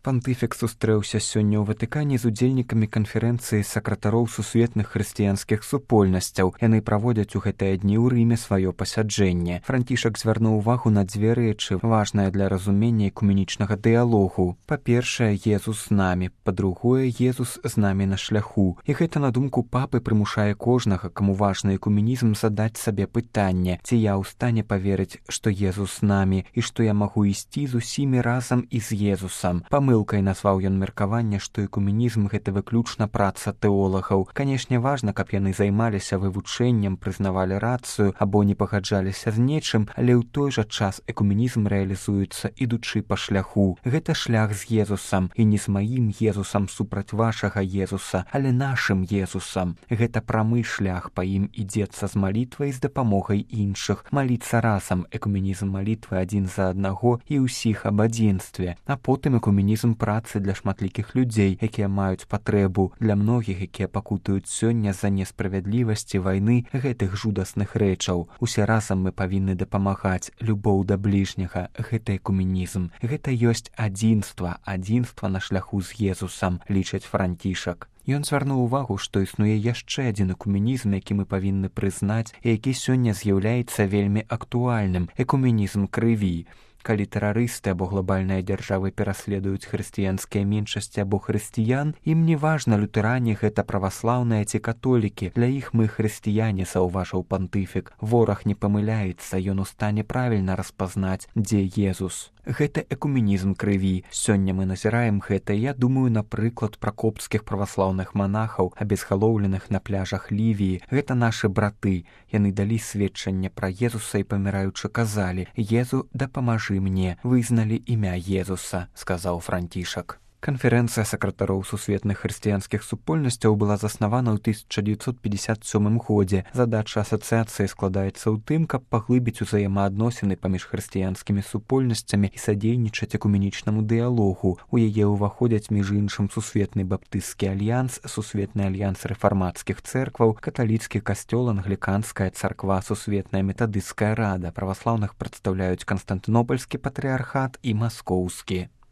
Пантыфік сустрэўся сёння ў Ватыкане з удзельнікамі канферэнцыі сакратароў сусветных хрысціянскіх супольнасцяў. Яны праводзяць у гэтыя дні ў Рыме сваё пасяджэнне. Францішак звярнуў увагу на дзве рэчы, важныя для разумення экуменічнага дыялогу. Па-першае, Езус з намі, па-другое, Езус з намі на шляху. І гэта, на думку папы, прымушае кожнага, каму важны экуменізм, задаць сабе пытанне, ці я ў стане паверыць, што Езус з намі і што я магу ісці з усімі разам і з Езусам. Памылкай назваў ён меркаванне, што экуменізм — гэта выключна праца тэолагаў. Канешне, важна, каб яны займаліся вывучэннем, прызнавалі рацыю або не пагаджаліся з нечым, але ў той жа час экуменізм рэалізуецца, ідучы па шляху. Гэта шлях з Езусам, і не з маім Езусам супраць вашага Езуса, але нашым Езусам. Гэта прамы шлях, па ім ідзецца з малітвай, з дапамогай іншых. Маліцца разам, экуменізм малітвы адзін за аднаго і ўсіх аб адзінстве. А потым экуменізм працы для шматлікіх людзей, якія маюць патрэбу, для многіх, якія пакутаюць сёння з-за несправядлівасці вайны, гэтых жудасных рэчаў. Усе разам мы павінны дапамагаць. Любоў да бліжняга — гэта экуменізм. Гэта ёсць адзінства, адзінства на шляху з Езусам, лічыць Францішак. Ён звярнуў увагу, што існуе яшчэ адзін экуменізм, які мы павінны прызнаць і які сёння з'яўляецца вельмі актуальным — экуменізм крыві. Калі тэрарысты або глобальныя дзяржавы пераследуюць хрысціянскія меншасці або хрысціян, ім не важна, лютэране гэта праваслаўныя ці католікі. Для іх мы хрысціяне, заўважыў пантыфік. Вораг не памыляецца, ён у стане правільна распазнаць, дзе Езус. Гэта экуменізм крыві. Сёння мы назіраем гэта, я думаю, напрыклад, пра копцкіх праваслаўных манахаў, абезгалоўленых на пляжах Лівіі. Гэта нашы браты. Яны далі сведчанне пра Езуса і, паміраючы, казалі: «Езу, дапамажы мне». Вызналі імя Езуса, сказаў Францішак. Канферэнцыя сакратароў сусветных хрысціянскіх супольнасцяў была заснавана ў 1957 годзе. Задача асацыяцыі складаецца ў тым, каб паглыбіць узаемаадносіны паміж хрысціянскімі супольнасцямі і садзейнічаць экуменічнаму дыялогу. У яе ўваходзяць, між іншым, Сусветны баптысцкі альянс, Сусветны альянс рэфармацкіх цэркваў, каталіцкі касцёл, англіканская царква, Сусветная метадысцкая рада. Праваслаўных прадстаўляюць Канстантынопольскі патрыархат і Маскоўскі.